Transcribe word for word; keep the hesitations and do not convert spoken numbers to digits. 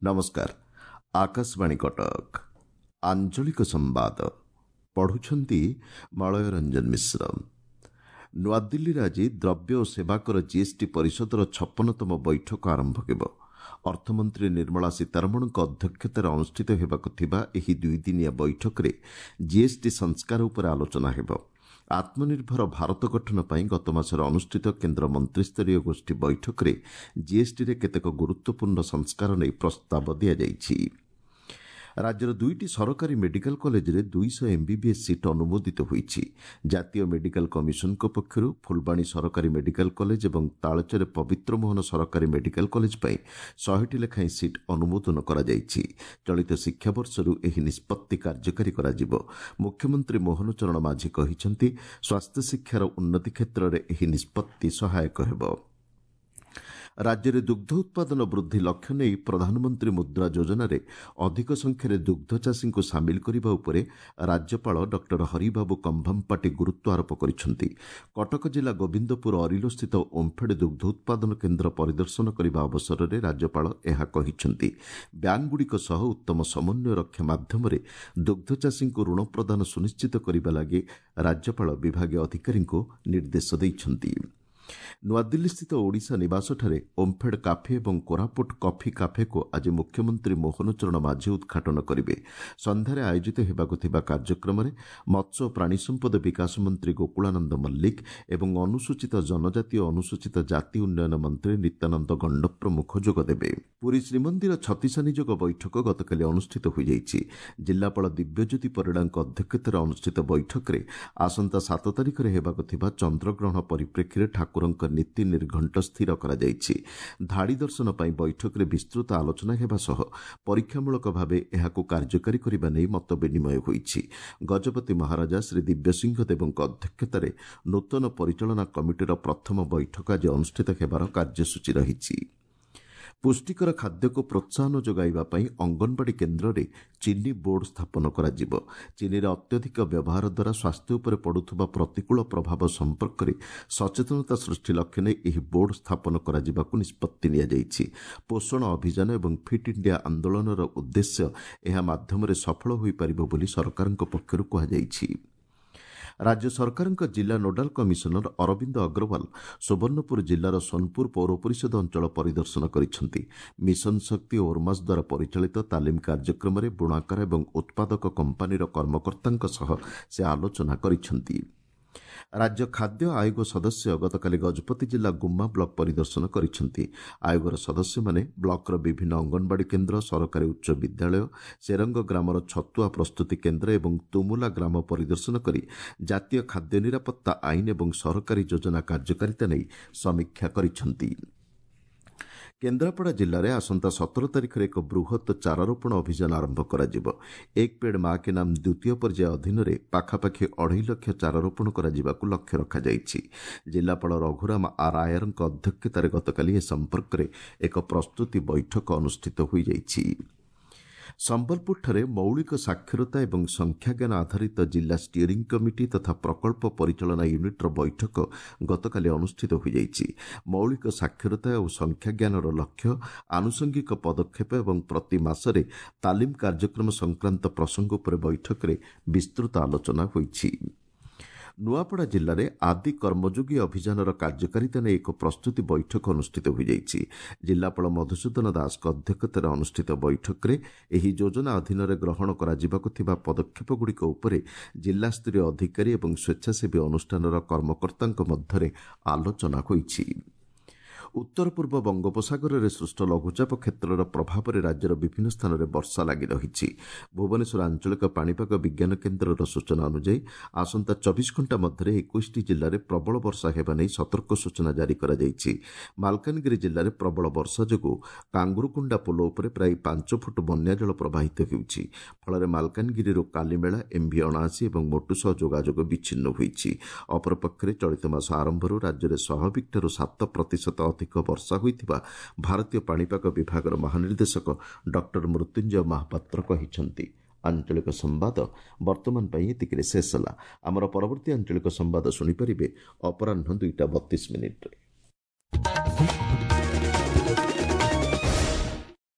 ନମସ୍କାର, ଆକାଶବାଣୀ କଟକ। ଆଞ୍ଚଳିକ ସମ୍ବାଦ ପଢ଼ୁଛନ୍ତି ମଳୟ ରଞ୍ଜନ ମିଶ୍ର। ନୂଆଦିଲ୍ଲୀରେ ଆଜି ଦ୍ରବ୍ୟ ଓ ସେବାକର ଜିଏସ୍ଟି ପରିଷଦର ଛପନତମ ବୈଠକ ଆରମ୍ଭ ହେବ। ଅର୍ଥମନ୍ତ୍ରୀ ନିର୍ମଳା ସୀତାରମଣଙ୍କ ଅଧ୍ୟକ୍ଷତାରେ ଅନୁଷ୍ଠିତ ହେବାକୁ ଥିବା ଏହି ଦୁଇଦିନିଆ ବୈଠକରେ ଜିଏସ୍ଟି ସଂସ୍କାର ଉପରେ ଆଲୋଚନା ହେବ। ଆତ୍ମନିର୍ଭର ଭାରତ ଗଠନ ପାଇଁ ଗତମାସରେ ଅନୁଷ୍ଠିତ କେନ୍ଦ୍ର ମନ୍ତ୍ରିସ୍ତରୀୟ ଗୋଷ୍ଠୀ ବୈଠକରେ ଜିଏସ୍ଟିରେ କେତେକ ଗୁରୁତ୍ୱପୂର୍ଣ୍ଣ ସଂସ୍କାର ନେଇ ପ୍ରସ୍ତାବ ଦିଆଯାଇଛି। ରାଜ୍ୟର ଦୁଇଟି ସରକାରୀ ମେଡିକାଲ କଲେଜରେ ଦୁଇଶହ ଏମ୍ବିବିଏସ୍ ସିଟ୍ ଅନୁମୋଦିତ ହୋଇଛି। ଜାତୀୟ ମେଡିକାଲ କମିଶନଙ୍କ ପକ୍ଷରୁ ଫୁଲବାଣୀ ସରକାରୀ ମେଡିକାଲ କଲେଜ ଏବଂ ତାଳଚେର ପବିତ୍ରମୋହନ ସରକାରୀ ମେଡିକାଲ କଲେଜ ପାଇଁ ଶହେଟି ଲେଖାଏଁ ସିଟ୍ ଅନୁମୋଦନ କରାଯାଇଛି। ଚଳିତ ଶିକ୍ଷାବର୍ଷରୁ ଏହି ନିଷ୍ପତ୍ତି କାର୍ଯ୍ୟକାରୀ କରାଯିବ। ମୁଖ୍ୟମନ୍ତ୍ରୀ ମୋହନ ଚରଣ ମାଝୀ କହିଛନ୍ତି, ସ୍ୱାସ୍ଥ୍ୟଶିକ୍ଷାର ଉନ୍ନତି କ୍ଷେତ୍ରରେ ଏହି ନିଷ୍ପତ୍ତି ସହାୟକ ହେବ। ରାଜ୍ୟରେ ଦୁଗ୍ଧ ଉତ୍ପାଦନ ବୃଦ୍ଧି ଲକ୍ଷ୍ୟ ନେଇ ପ୍ରଧାନମନ୍ତ୍ରୀ ମୁଦ୍ରା ଯୋଜନାରେ ଅଧିକ ସଂଖ୍ୟାରେ ଦୁଗ୍ଧ ଚାଷୀଙ୍କୁ ସାମିଲ କରିବା ଉପରେ ରାଜ୍ୟପାଳ ଡକ୍ଟର ହରିବାବୁ କମ୍ଭମପାଟି ଗୁରୁତ୍ୱ ଆରୋପ କରିଛନ୍ତି। କଟକ ଜିଲ୍ଲା ଗୋବିନ୍ଦପୁର ଅରିଲୋସ୍ଥିତ ଓମ୍ଫେଡ୍ ଦୁଗ୍ଧ ଉତ୍ପାଦନ କେନ୍ଦ୍ର ପରିଦର୍ଶନ କରିବା ଅବସରରେ ରାଜ୍ୟପାଳ ଏହା କହିଛନ୍ତି। ବ୍ୟାଙ୍କଗୁଡ଼ିକ ସହ ଉତ୍ତମ ସମନ୍ୱୟ ରକ୍ଷା ମାଧ୍ୟମରେ ଦୁଗ୍ଧ ଚାଷୀଙ୍କୁ ଋଣ ପ୍ରଦାନ ସୁନିଶ୍ଚିତ କରିବା ଲାଗି ରାଜ୍ୟପାଳ ବିଭାଗୀୟ ଅଧିକାରୀଙ୍କୁ ନିର୍ଦ୍ଦେଶ ଦେଇଛନ୍ତି। ନୂଆଦିଲ୍ଲୀସ୍ଥିତ ଓଡ଼ିଶା ନିବାସଠାରେ ଓମ୍ଫେଡ୍ କାଫେ ଏବଂ କୋରାପୁଟ କଫି କାଫେକୁ ଆଜି ମୁଖ୍ୟମନ୍ତ୍ରୀ ମୋହନ ଚରଣ ମାଝୀ ଉଦ୍ଘାଟନ କରିବେ। ସନ୍ଧ୍ୟାରେ ଆୟୋଜିତ ହେବାକୁ ଥିବା କାର୍ଯ୍ୟକ୍ରମରେ ମତ୍ସ୍ୟ ଓ ପ୍ରାଣୀ ସମ୍ପଦ ବିକାଶ ମନ୍ତ୍ରୀ ଗୋକୁଳାନନ୍ଦ ମଲ୍ଲିକ ଏବଂ ଅନୁସୂଚିତ ଜନଜାତି ଓ ଅନୁସୂଚିତ ଜାତି ଉନ୍ନୟନ ମନ୍ତ୍ରୀ ନିତ୍ୟାନନ୍ଦ ଗଣ୍ଡ ପ୍ରମୁଖ ଯୋଗଦେବେ। ପୁରୀ ଶ୍ରୀମନ୍ଦିର ଛତିଶା ନିଯୋଗ ବୈଠକ ଗତକାଲି ଅନୁଷ୍ଠିତ ହୋଇଯାଇଛି। ଜିଲ୍ଲାପାଳ ଦିବ୍ୟଜ୍ୟୋତି ପରିଡ଼ାଙ୍କ ଅଧ୍ୟକ୍ଷତାରେ ଅନୁଷ୍ଠିତ ବୈଠକରେ ଆସନ୍ତା ସାତ ତାରିଖରେ ହେବାକୁ ଥିବା ଚନ୍ଦ୍ରଗ୍ରହଣ ପରିପ୍ରେକ୍ଷୀରେ ଠାକୁରଙ୍କ ନୀତି ନିର୍ଘଣ୍ଟ ସ୍ଥିର କରାଯାଇଛି। ଧାଡ଼ି ଦର୍ଶନ ପାଇଁ ବୈଠକରେ ବିସ୍ତୃତ ଆଲୋଚନା ହେବା ସହ ପରୀକ୍ଷାମୂଳକ ଭାବେ ଏହାକୁ କାର୍ଯ୍ୟକାରୀ କରିବା ନେଇ ମତ ବିନିମୟ ହୋଇଛି। ଗଜପତି ମହାରାଜା ଶ୍ରୀ ଦିବ୍ୟସିଂହ ଦେବଙ୍କ ଅଧ୍ୟକ୍ଷତାରେ ନୂତନ ପରିଚାଳନା କମିଟିର ପ୍ରଥମ ବୈଠକ ଆଜି ଅନୁଷ୍ଠିତ ହେବାର କାର୍ଯ୍ୟସୂଚୀ ରହିଛି। ପୁଷ୍ଟିକର ଖାଦ୍ୟକୁ ପ୍ରୋତ୍ସାହନ ଯୋଗାଇବା ପାଇଁ ଅଙ୍ଗନବାଡ଼ି କେନ୍ଦ୍ରରେ ଚିନି ବୋର୍ଡ ସ୍ଥାପନ କରାଯିବ। ଚିନିର ଅତ୍ୟଧିକ ବ୍ୟବହାର ଦ୍ୱାରା ସ୍ୱାସ୍ଥ୍ୟ ଉପରେ ପଡ଼ୁଥିବା ପ୍ରତିକୂଳ ପ୍ରଭାବ ସମ୍ପର୍କରେ ସଚେତନତା ସୃଷ୍ଟି ଲକ୍ଷ୍ୟ ନେଇ ଏହି ବୋର୍ଡ ସ୍ଥାପନ କରାଯିବାକୁ ନିଷ୍ପତ୍ତି ନିଆଯାଇଛି। ପୋଷଣ ଅଭିଯାନ ଏବଂ ଫିଟ୍ ଇଣ୍ଡିଆ ଆନ୍ଦୋଳନର ଉଦ୍ଦେଶ୍ୟ ଏହା ମାଧ୍ୟମରେ ସଫଳ ହୋଇପାରିବ ବୋଲି ସରକାରଙ୍କ ପକ୍ଷରୁ କୁହାଯାଇଛି। ରାଜ୍ୟ ସରକାରଙ୍କ ଜିଲ୍ଲା ନୋଡାଲ କମିଶନର ଅରବିନ୍ଦ ଅଗ୍ରୱାଲ ସୁବର୍ଣ୍ଣପୁର ଜିଲ୍ଲାର ସୋନପୁର ପୌର ପରିଷଦ ଅଞ୍ଚଳ ପରିଦର୍ଶନ କରିଛନ୍ତି। ମିଶନ ଶକ୍ତି ଓ ଓର୍ମାସ୍ ଦ୍ୱାରା ପରିଚାଳିତ ତାଲିମ କାର୍ଯ୍ୟକ୍ରମରେ ବୁଣାକାର ଏବଂ ଉତ୍ପାଦକ କମ୍ପାନୀର କର୍ମକର୍ତ୍ତାଙ୍କ ସହ ସେ ଆଲୋଚନା କରିଛନ୍ତି। ରାଜ୍ୟ ଖାଦ୍ୟ ଆୟୋଗ ସଦସ୍ୟ ଗତକାଲି ଗଜପତି ଜିଲ୍ଲା ଗୁମ୍ମା ବ୍ଲକ ପରିଦର୍ଶନ କରିଛନ୍ତି। ଆୟୋଗର ସଦସ୍ୟମାନେ ବ୍ଲକର ବିଭିନ୍ନ ଅଙ୍ଗନବାଡ଼ି କେନ୍ଦ୍ର, ସରକାରୀ ଉଚ୍ଚ ବିଦ୍ୟାଳୟ, ସେରଙ୍ଗ ଗ୍ରାମର ଛତୁଆ ପ୍ରସ୍ତୁତି କେନ୍ଦ୍ର ଏବଂ ତୁମୁଲା ଗ୍ରାମ ପରିଦର୍ଶନ କରି ଜାତୀୟ ଖାଦ୍ୟ ନିରାପତ୍ତା ଆଇନ ଏବଂ ସରକାରୀ ଯୋଜନା କାର୍ଯ୍ୟକାରିତା ନେଇ ସମୀକ୍ଷା କରିଛନ୍ତି। କେନ୍ଦ୍ରାପଡ଼ା ଜିଲ୍ଲାରେ ଆସନ୍ତା ସତର ତାରିଖରେ ଏକ ବୃହତ୍ ଚାରାରୋପଣ ଅଭିଯାନ ଆରମ୍ଭ କରାଯିବ। ଏକ ପେଡ୍ ମା କେ ନାମ ଦ୍ୱିତୀୟ ପର୍ଯ୍ୟାୟ ଅଧୀନରେ ପାଖାପାଖି ଅଢ଼େଇ ଲକ୍ଷ ଚାରାରୋପଣ କରାଯିବାକୁ ଲକ୍ଷ୍ୟ ରଖାଯାଇଛି। ଜିଲ୍ଲାପାଳ ରଘୁରାମ ଆର୍ ଆୟାରଙ୍କ ଅଧ୍ୟକ୍ଷତାରେ ଗତକାଲି ଏ ସମ୍ପର୍କରେ ଏକ ପ୍ରସ୍ତୁତି ବୈଠକ ଅନୁଷ୍ଠିତ ହୋଇଯାଇଛି। ସମ୍ବଲପୁରଠାରେ ମୌଳିକ ସାକ୍ଷରତା ଏବଂ ସଂଖ୍ୟାଜ୍ଞାନ ଆଧାରିତ ଜିଲ୍ଲା ଷ୍ଟିଅରିଂ କମିଟି ତଥା ପ୍ରକଳ୍ପ ପରିଚାଳନା ୟୁନିଟ୍ର ବୈଠକ ଗତକାଲି ଅନୁଷ୍ଠିତ ହୋଇଯାଇଛି। ମୌଳିକ ସାକ୍ଷରତା ଓ ସଂଖ୍ୟାଜ୍ଞାନର ଲକ୍ଷ୍ୟ, ଆନୁଷଙ୍ଗିକ ପଦକ୍ଷେପ ଏବଂ ପ୍ରତି ମାସରେ ତାଲିମ କାର୍ଯ୍ୟକ୍ରମ ସଂକ୍ରାନ୍ତ ପ୍ରସଙ୍ଗ ଉପରେ ବୈଠକରେ ବିସ୍ତୃତ ଆଲୋଚନା ହୋଇଛି। ନୂଆପଡ଼ା ଜିଲ୍ଲାରେ ଆଦି କର୍ମଯୋଗୀ ଅଭିଯାନର କାର୍ଯ୍ୟକାରିତା ନେଇ ଏକ ପ୍ରସ୍ତୁତି ବୈଠକ ଅନୁଷ୍ଠିତ ହୋଇଯାଇଛି। ଜିଲ୍ଲାପାଳ ମଧୁସୂଦନ ଦାସଙ୍କ ଅଧ୍ୟକ୍ଷତାରେ ଅନୁଷ୍ଠିତ ବୈଠକରେ ଏହି ଯୋଜନା ଅଧୀନରେ ଗ୍ରହଣ କରାଯିବାକୁ ଥିବା ପଦକ୍ଷେପଗୁଡ଼ିକ ଉପରେ ଜିଲ୍ଲାସ୍ତରୀୟ ଅଧିକାରୀ ଏବଂ ସ୍ୱେଚ୍ଛାସେବୀ ଅନୁଷ୍ଠାନର କର୍ମକର୍ତ୍ତାଙ୍କ ମଧ୍ୟରେ ଆଲୋଚନା ହୋଇଛି। ଉତ୍ତର ପୂର୍ବ ବଙ୍ଗୋପସାଗରରେ ସୃଷ୍ଟ ଲଘୁଚାପ କ୍ଷେତ୍ରର ପ୍ରଭାବରେ ରାଜ୍ୟର ବିଭିନ୍ନ ସ୍ଥାନରେ ବର୍ଷା ଲାଗି ରହିଛି। ଭୁବନେଶ୍ୱର ଆଞ୍ଚଳିକ ପାଣିପାଗ ବିଜ୍ଞାନ କେନ୍ଦ୍ରର ସୂଚନା ଅନୁଯାୟୀ ଆସନ୍ତା ଚବିଶ ଘଣ୍ଟା ମଧ୍ୟରେ ଏକୋଇଶଟି ଜିଲ୍ଲାରେ ପ୍ରବଳ ବର୍ଷା ହେବା ନେଇ ସତର୍କ ସୂଚନା ଜାରି କରାଯାଇଛି। ମାଲକାନଗିରି ଜିଲ୍ଲାରେ ପ୍ରବଳ ବର୍ଷା ଯୋଗୁଁ କାଙ୍ଗୁରୁକୁଣ୍ଡା ପୋଲ ଉପରେ ପ୍ରାୟ ପାଞ୍ଚ ଫୁଟ ବନ୍ୟାଜଳ ପ୍ରବାହିତ ହେଉଛି। ଫଳରେ ମାଲକାନଗିରିରୁ କାଲିମେଳା, ଏମ୍ଭି ଅଣାଅଶୀ ଏବଂ ମୋଟୁ ସହ ଯୋଗାଯୋଗ ବିଚ୍ଛିନ୍ନ ହୋଇଛି। ଅପରପକ୍ଷରେ ଚଳିତ ମାସ ଆରମ୍ଭରୁ ରାଜ୍ୟରେ ସ୍ୱାଭାବିକଠାରୁ ସାତ ପ୍ରତିଶତ ଅଧିକ ବର୍ଷା ହୋଇଥିବା ଭାରତୀୟ ପାଣିପାଗ ବିଭାଗର ମହାନିର୍ଦ୍ଦେଶକ ଡକ୍ଟର ମୃତ୍ୟୁଞ୍ଜୟ ମହାପାତ୍ର କହିଛନ୍ତି। ଆଞ୍ଚଳିକ ସମ୍ବାଦ ବର୍ତ୍ତମାନ ପାଇଁ ଏତିକିରେ ଶେଷ ହେଲା। ଆମର ପରବର୍ତ୍ତୀ ଆଞ୍ଚଳିକ ସମ୍ବାଦ ଶୁଣିପାରିବେ ଅପରାହ୍ନ ଦୁଇଟା ବତିଶ ମିନିଟ୍ରେ।